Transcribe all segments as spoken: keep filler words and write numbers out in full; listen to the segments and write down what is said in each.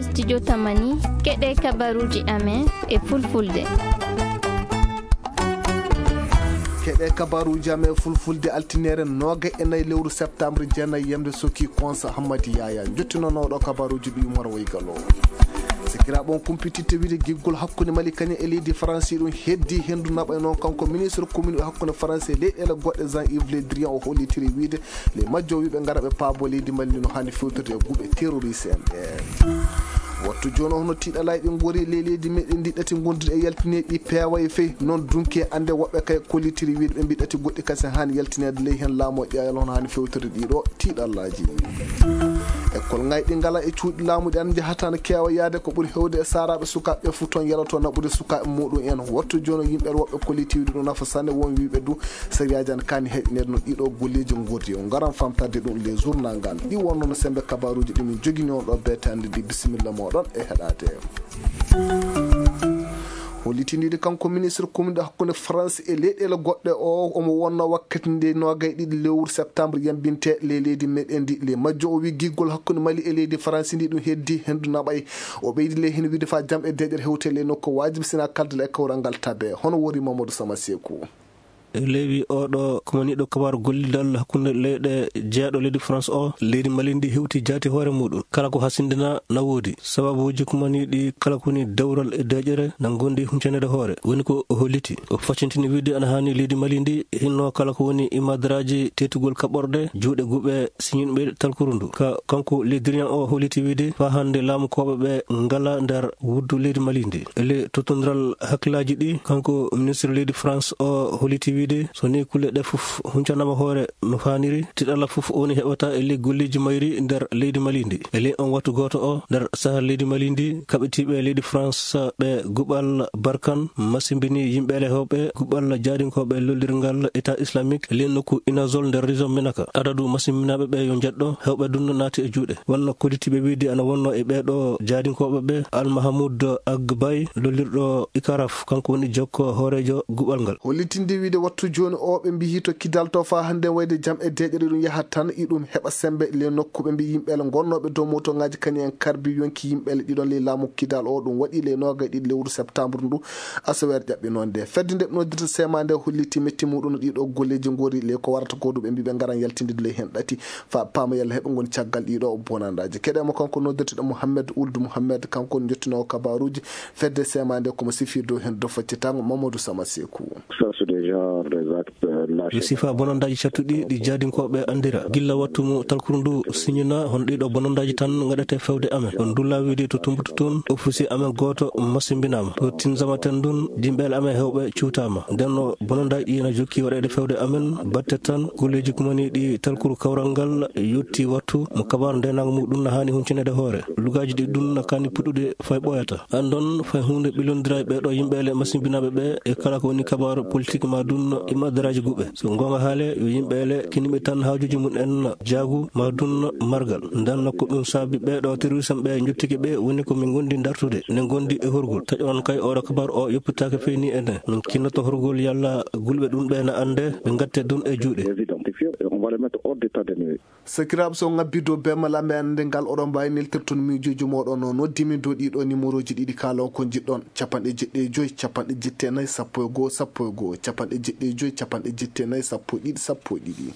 Studio Tamani, keɗe kabaruuji amen e fulfulde. Keɗe kabaruuji amen e fulfulde, altiniere noogay e nayi lewru septembre, jeenayi yamde soki konsa Hammadi Yaya. Njottinonooɗo kabaruuji ɗi Umar Waygalo. Sikiraaɓe, on kumpititte wiide giggol hakkunde Mali kañum e leydi Faransi ɗum heddi henndu naɓay noon. Kanko ministre commune hakkunde Faransi e leyɗeele goɗɗe, Jean-Yves Le Drian, o hollitiri wiide le majjo wiiɓe ngara ɓe paabo leydi Mali ndi no haani fewtirde e guuɓe terroriste en ɓe. Wattu jooni o, hono tiiɗalaaji ɗi ngori ley leydi meɗen ndi ɗati gonduɗi e yaltineeɗi peewa e fey. Noon dunki e annde woɓɓe kay kollitiri wiide ɓe mbi ɗati goɗɗi kasi haani yaltineede ley heen laamu o ƴeewal hono haani fewtirde ɗiɗo tiiɗallaaji. École ŋayɗi ngala e cuuɗi laamu ɗi an njahata no keewa yaade ko ɓuri heewde e saaraaɓe sukaaɓe ɓe fof toon yaloto naɓude sukaaɓe muɗum en. Wattu jooni o yimɓe woɓɓe kollitiiɗi ɗum nafa sanne won wiiɓe du sariyaaji an kaani heɗineede no ɗiɗo golleeji ngordi o ngaran famtade ɗum les journal ngal. Ɗi wonno no sembe kabaruuji ɗi min jogini on ɗo beetande ɗi. Bisimilla moɗon e heɗaade. Hollitindiiɗo kanko ministre commune hakkunde France e leyɗeele goɗɗe o, omo wonno wakkati nde noogay ɗiɗi lewru septembre yambinte ley leydi meɗen ndi. Ley majjo o wi giggol hakkunde Mali e leydi France ndi ɗum heddi hendu naɓay. O ɓeydi ley heen wiide fa jam e deƴere hewte ley nokku wajibi sina kaldal e kawral ngal tabe. Hono wori Mamadou Sama Seku. E leewi oɗo kumaniiɗo kabaaru gollidal hakkunde leyɗe jeeɗo leydi France o, leydi Mali ndi hewti jaati hoore muɗum. Kala ko hasindina na woodi. Sababuuji kumaniiɗi kala ko woni dewral e deƴere na ngondi huncanede hoore. Woni ko o holliti. O faccintini wiide ana haani leydi Mali ndi hinno kala ko woni imadaraaji tetugol kaɓorɗe juuɗe guuɓe siñinɓe talkuru ndu. Ka, kanko Le Drian o holliti wiide fa hannde laamukooɓe ɓe ngala nder wuddu leydi Mali ndi. E le tottondiral hakkillaaji ɗi, kanko ministre leydi France o holliti wiide so ni kulle ɗe fof huncanaama hoore no faaniri, tiɗalla fof woni heɓata e ley golleeji mayri nder leydi Mali ndi. E ley on wattu gooto o, nder sahar leydi Mali ndi, kaɓitiiɓe leydi France ɓe guɓal Barkan masimbini yimɓe ele hewɓe guɓal jaadinkooɓe lollirngal État Islamique e ley nokku Inazol nder région Menaka. Adadu masimbinaaɓe ɓe yo njeɗɗo, hewɓe dunno naati e juuɗe. Wonno kollitiiɓe wiide ana wonno e ɓeeɗo jaadinkooɓe ɓe Al Mahamoud Agbay, lollirɗo Ikaraf, kanko woni jokko hooreejo guɓal ngal. Hollitinde wiide wattu jooni o, ɓe mbiyi to kidal to faa hannde wayde jam e deeƴere ɗum yahat tan, iɗum heɓa sembe le nokku. Ɓe mbiyi yimɓe ele ngonnooɓe dow motoŋaaji kañum en karbi yonki yimɓe ele ɗiɗon ley laamu kidal o. Ɗum waɗi le noogay ɗiɗi lewru septembre ndu, asaweere ƴaɓɓinoonde. Fedde nde ɓe noddirta sema nde holliti metti muɗum no ɗiɗo golleeji ngori le ko warata ko ɗum ɓe mbi ɓe ngaran yaltinde ley heen ɗati faa paama yalla heɓe ngoni caggal ɗiɗo bonandaaji. Keɗe mo kanko noddirteɗo Mouhamed Ould Mouhamed, kanko woni jottinoowo kabaruuji fedde sema nde, komo sifir dow heen do faccitango Mamadou Sama Seku. Ça, c'est des genres des actes, euh, lâchés. Yo sifa bonandaaji cattuɗi ɗi jaadinkooɓe anndira. Gilla wattu mo talkuru ndu siñina, hono ɗiɗo bonandaaji tan ngaɗete fewde amen. On ndulla wiide to Tumbutu toon, officier amen gooto masimbinaama. To Tinzamaten ndun, yimɓe ele amen hewɓe cuutaama. Nden no bonandaaji ɗi ena jokki waɗeede fewde amen, batte tan golleeji kumaniiɗi talkuru kawral ngal yotti wattu mo kabaaru ndeenaango muɗum na haani huncinede hoore. Lugaaji ɗi ɗum na kaani puɗɗude fay ɓooyata. Anndon fay huunde ɓillondira e ɓeeɗo yimɓe ele masimbinaaɓe ɓe e kala ko woni kabaaru politik ma dun imadaraaji guɓe. So goonga haale, yo yimɓe ele kiniɓe tan haajuuji mum en jaagu ma dun margal. Nden no ko ɗum saabi ɓeeɗo terrorisme ɓe njottiki ɓe, woni ko min ngondi dartude, ne ngondi e horgol. Taƴonon kay oɗo kabaaru o yoppitaaka feyni ene. Min kinnoto horgol yalla gulɓe ɗum ɓe na annde, ɓe ngatte dun e juuɗe. Les identifier et on va les mettre hors d'état de nuire. Sakiraaɓe, so ngabbi dow bemmal amen, annde ngal oɗon mbaawi neltirton miijooji mooɗon. No noddimi dow ɗiɗo numéroji ɗiɗi, kaalon ko njiɗɗon: capanɗe jeɗɗi e joy, capanɗe jetti e nayi, sappo e goo, sappo e goo, capanɗe jeɗɗi e joy, capanɗe jetti e nayi, sappo e ɗiɗi, sappo e ɗiɗi.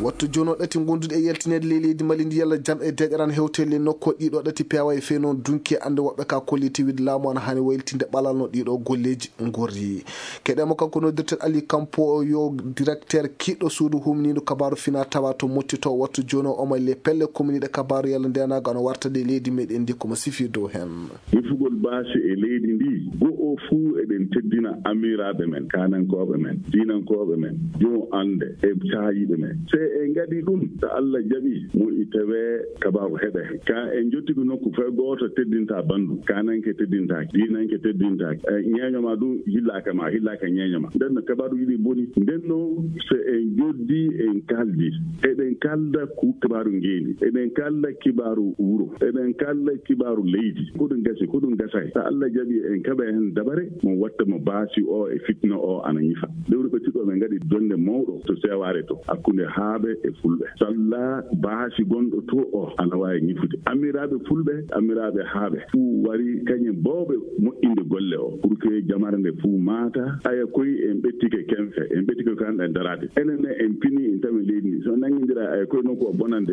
Wattu jooni o ɗati ngonduɗi e yaltineede ley leydi Mali ndi, yalla jam e deeƴere ana hewte ley nokku ɗiɗo ɗati peewa e fey noon dunki e annde woɓɓe ka kolliti wiide laamu ana haani waylitinde ɓalal no ɗiɗo golleeji ngorri. Keɗe mo kanko noddirten Ali Kampo, o yo directeur kiiɗɗo suudu humniiɗo kabaaru fina tawa to motti to. Wattu jooni o, omo le pelle kominiiɗe kabaaru yalla ndeenaago ana warta ɗe leydi meɗen ndi, komo sifi dow heen. Yefugol baasi e leydi ndi, go'o fuu eɗen teddina amiraaɓe men, kaanankooɓe men, diinankooɓe men, jom annde e saayiiɓe men. Se en ngaɗi ɗum, so Allah jaɓi, mo i tawee kabaaru heɓe. Ka en jottiki nokku fay gooto teddinta banndum, kaananke teddintaake, diinanke teddintaake, e ñeeño ma ɗum hillaaka ma, hillaaka ñeeño ma. Nden no kabaaruuji ɗi boni. Nden no so en joddi, en kaldi, eɗen kalda ku kibaaru ngeendi, eɗen kalda kibaaru wuro, eɗen kalda kibaaru leydi. Ko ɗum gasi, ko ɗum gasay. So Allah jaɓi en kaɓa heen dabare, mo watta mo baasi o e fitna o ana ñifa. Lewru ɓettuɗo men ngaɗi jonnde mawɗo to Seewaare to, hakkunde haa Aɓe e fulɓe salla baasi gonɗo to o ana waawi ñifude. Amiraaɓe fulɓe, amiraaɓe haaɓe fuu wari kañe booɓe moƴƴinde golle o pour que jamare nde fuu maata. Aya koy en ɓettike kenfe, en ɓettike ko hanɗa en daraade. Enen ne en pini en tawi leydi ndi so nanngindira aya koy nokku o bonande.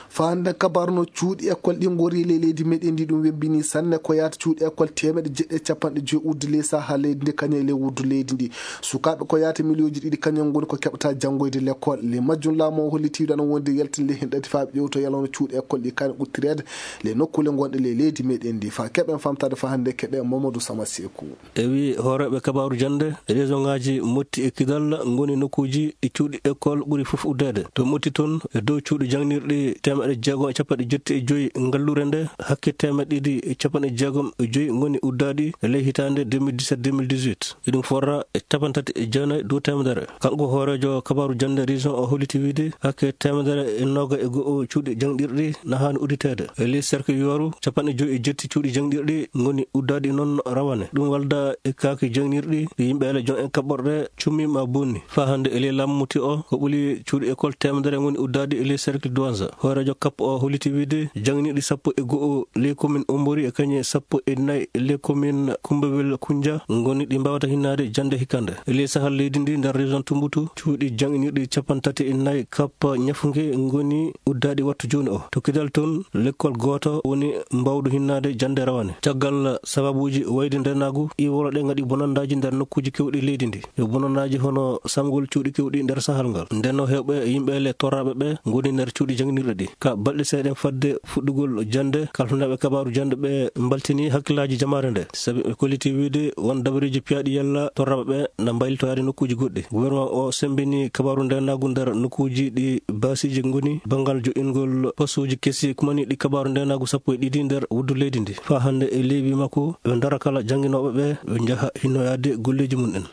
Faa hannde kabaaru no cuuɗi école ɗi ngori ley leydi meɗen ndi ɗum webbini sanne ko yaata cuuɗi école teemeɗe jeɗɗi e capanɗe joyi uddi ley saha leydi ndi kañe ley wuddu leydi ndi. Sukaaɓe ko yaata miliyooji ɗiɗi kañum ngoni ko keɓata janngoyde l'école. Ley majjum laamu o holliti wiide ana wondi yaltinde ley hen ɗati faa ɓe ƴewto yalla no cuuɗi école ɗi kaani ɓuttireede ley nokkuule gonɗe ley leydi meɗen ndi. Faa keɓen famtaade faa hannde keɓe Mamadou Sama Seeku. E wi hooreeɓe kabaaru jannde, région ŋaaji Motti e Kidal ngoni nokkuuji ɗi cuuɗi école ɓuri fof uddeede. To Motti toon, e dow cuuɗi jannginirɗi teemeɗe jeegom e capanɗe jetti e joyi ngallure nde, hakke teemeɗe ɗiɗi e capanɗe jeegom e joyi ngoni uddaaɗi e ley hitaande deux mille dix-sept deux mille dix-huit. Eɗum forra e capantati e jeenayi dow teemedere. Kanko hooreejo kabaaru jannde région o holliti wiide hakke teemedere e nooga e go'o cuuɗi jangɗirɗi na haani udditeede. E ley cercle Yooru, capanɗe joyi e jetti cuuɗi jangɗirɗi ngoni uddaaɗi noon rawane. Ɗum walda e kaaki jangɗirɗi ɗi yimɓe ele jon en kaɓɓorɗe cummi ma bonni. Faa hannde e ley laamu Motti o, ko ɓuli cuuɗi école teemedere ngoni uddaaɗi e ley cercle Douanza. Hooreejo kap o holliti wiide jangɗirɗi sappo e go'o ley commune Ombori e kañe sappo e nayi ley commune Kumbewel Kunja ngoni ɗi mbaawata hinnaade jannde hikande. E ley sahal leydi ndi nder région Tumbutu, cuuɗi jannginirɗi capanɗe tati e nayi kappa ñafunge ngoni uddaaɗi wattu jooni o. To Kidal toon, lekkol gooto woni mbaawdu hinnaade jannde rawane. Caggal sababuuji wayde ndeenaagu, iwolo ɗe ngaɗi bonandaaji nder nokkuuji keewɗi leydi ndi. Yo bonandaaji hono samgol cuuɗi keewɗi nder sahal ngal. Nden o heewɓe yimɓe le torraaɓe ɓe ngoni nder cuuɗi jannginirɗe ɗi. Ka balɗe seeɗa fadde fuɗɗugol jannde, kalfinaaɓe kabaaru jannde ɓe mbaltini hakkillaaji jamaare nde. Sabi ɓe kolliti wiide won dabareeji piyaaɗi yalla torraaɓe ɓe na mbaylitoyaade nokkuuji goɗɗi. Gouvernement o semmbini kabaaru ndeenaagu nder nokkuuji ɗi baasiiji ngoni banngal joɗɗingol postuuji kesi kumaniiɗi kabaaru ndeenaagu sappo e ɗiɗi nder wuddu leydi ndi. Faa hannde e leewi makko, ɓe ndara kala jannginooɓe ɓe, ɓe njaha hinnoyaade golleeji mum en.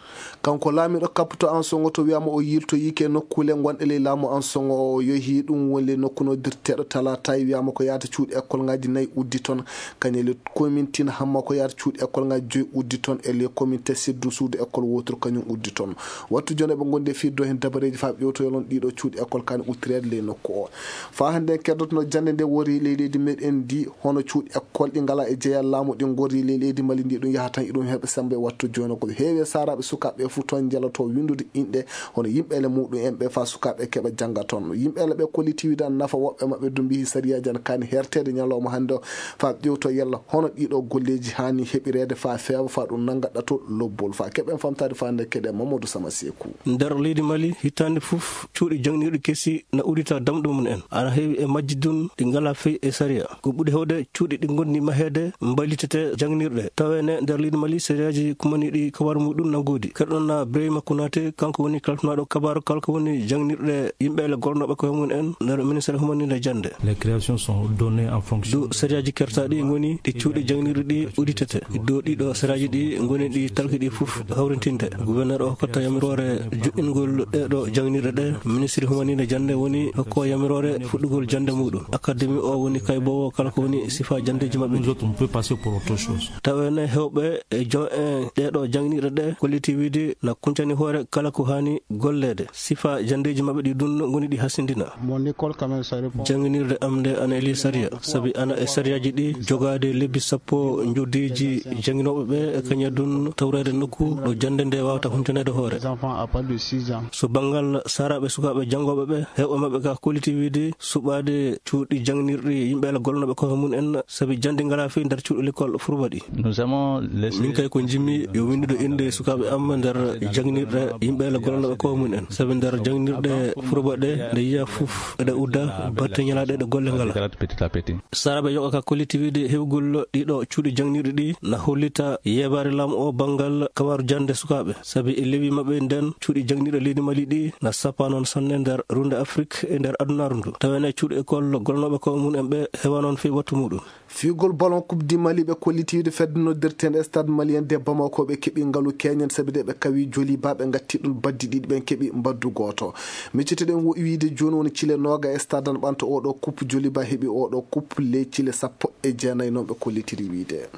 Kanko laamiiɗo kapputo Ansongo to wiyaama o yiltoyiike e nokkuule gonɗe ley laamu Ansongo o, o yehi ɗum woni ley nokku noddirteeɗo Talataay, wiyaama ko yaata cuuɗi école ngaaji nayi uddi toon. Kañum e ley commune Tina Hamma ko yaata cuuɗi école ngaaji joyi uddi toon, e ley commune Tessidou suudu école wooturu kañum uddi toon. Wattu jooni eɓe ngondi e fiirde heen dabareeji faa ɓe ƴewtoyoo ɗiɗo cuuɗi école kaani uttireede ley nokku o. Faa hannde en keddotono jannde nde wori ley leydi meɗen ndi, hono cuuɗi école ɗi ngalaa e jeyal laamu ɗi ngori ley leydi Mali ndi, ɗum yaha tan iɗum heɓa semmbe. Wattu jooni ko heewi e saaraaɓe sukaaɓe ɓe fuu toon njaloto winndude inɗe hono yimɓe ele muɗum en ɓe faa sukaaɓe keɓa jannga toon. Yimɓe ele ɓe kolliti wiide nafa woɓɓe maɓɓe ɗum mbiyi sariyaaji ana kaani herteede ñalawma hannde o faa ƴewto yalla hono ɗiɗo golleeji haani heɓireede faa feewa faa ɗum nannga ɗato lobbol. Faa keɓen famtaade faa nde keɗe Mamadou Sama Seeku. Nder leydi Mali, hitaande fof cuuɗi jannginirɗi kesi na uddita damɗe mum en. Ana heewi e majji ɗum ɗi ngalaa fey e sariya. Ko ɓuri heewde cuuɗi ɗi ngoni maheede mbaylitete jannginirɗe. Taweene nder leydi Mali, sariyaaji kumaniiɗi kabaaru muɗum na ngoodi. Keɗoɗon na Ibrahima Konaté, kanko woni kalfinaaɗo kabaaru kala ko woni jannginirɗe yimɓe ele golnooɓe koye mum en nder ministère humaniiɗe jannde. Les créations sont données en fonction. Ɗo sariyaaji kertaaɗi ngoni ɗi cuuɗi jannginirɗi ɗi udditete. Ɗo ɗiɗo sariyaaji ɗi ngoni ɗi talki ɗi fof hawrintinde. Gouverneur o hokkata yamiroore joɗɗingol ɗeɗo jannginirɗe ɗe. Ministre humaniiɗe jannde woni hokko yamiroore fuɗɗugol jannde muɗum. Académie o woni kayboowo kala ko woni sifa janndeeji maɓɓe ɗi. Nous autres, on peut passer pour autre chose. Taweene heewɓe e jon en ɗeɗo jannginirɗe ɗe kolliti wiide na kuncani hoore kala ko haani golleede. Sifa janndeeji maɓɓe ɗi ɗum ngoni ɗi hasindina. Mon école quand même, ça répond. Jannginirde am nde ana e ley sariya, sabi ana e sariyaaji ɗi jogaade lebbi sappo njodeeji jannginooɓe ɓe, e kañum ɗum tawreede nokku ɗo jannde nde waawata huntaneede hoore. Les enfants à partir de six ans. So banngal saaraaɓe sukaaɓe janngooɓe ɓe, heewɓe maɓɓe ka kolliti wiide suɓaade cuuɗi jannginirɗi yimɓe ala golnooɓe koye mum en, sabi jannde ngalaa fey nder cuuɗi l'école furba ɗi. Nous aimons les. Min kay ko njimmi yo winndude innde sukaaɓe am nder jannginirɗe yimɓe ala golnooɓe koye mum en. Sabi nder jannginirɗe furba ɗe, nde yiya fof eɗe udda, batte ñalaaɗe ɗe golle ngalaa. Petit à petit. Saaraaɓe yoɓa ka kolliti wiide heɓugol ɗiɗo cuuɗi jannginirɗi ɗi na hollita yeebaare laamu o banngal kabaaru jannde sukaaɓe. Sabi e lewi maɓɓe nden cuuɗi jannginirɗe leydi Mali ɗi na sappa noon sanne nder runde Afrik e nder adunaaru ndu. Taweene cuuɗi école golnooɓe koye mum en ɓe heewa noon fey wattu muɗum. Fiigol ballon Coupe du Mali ɓe kolliti wiide fedde noddirteende Stade Malien de Bamako ɓe keɓi ngalu keñen sabi de ɓe kawi Joliba ɓe ngatti ɗum baddi ɗiɗi ɓen keɓi mbaddu gooto. Miccitoɗen wo-, wiide jooni woni cile nooga e stade an ɓanto oɗo coupe Joliba heɓi oɗo coupe ley cile sappo e jeenayi noon ɓe kollitiri wiide.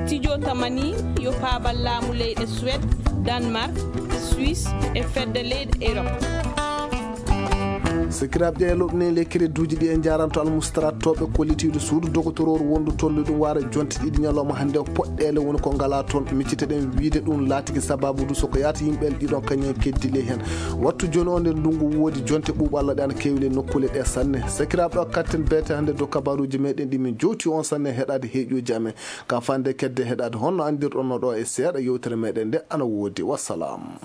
Studio Tamani yo paabal laamu leyɗe Suède, Danemark, Suisse e fedde leyɗe Europe. Sakiraaɓe, ƴeeloɓe ne le crédit uji ɗi e jaaranto almustaratooɓe kollitiiɗo suudu dogotoroor wondu tollu ɗum waara jonte ɗiɗi ñalawma hannde o poɗɗeele woni ko ngala toon. Micciteɗen wiide ɗum laatiki sababu du soko yaata yimɓe ɗiɗon kañum en keddi ley heen. Wattu jooni o nde ndungu woodi jonte ɓuuɓalla ɗe ana keewi ley nokkuule ɗe sanne. Sakiraaɓe, o katten beete hannde dow kabaruuji meɗen ɗi min jowti on sanne heɗaade heeƴuuji amen. Ka fande kedde heɗaade honno anndirɗon no ɗo e seeɗa yewtere meɗen nde ana woodi. Wassalam.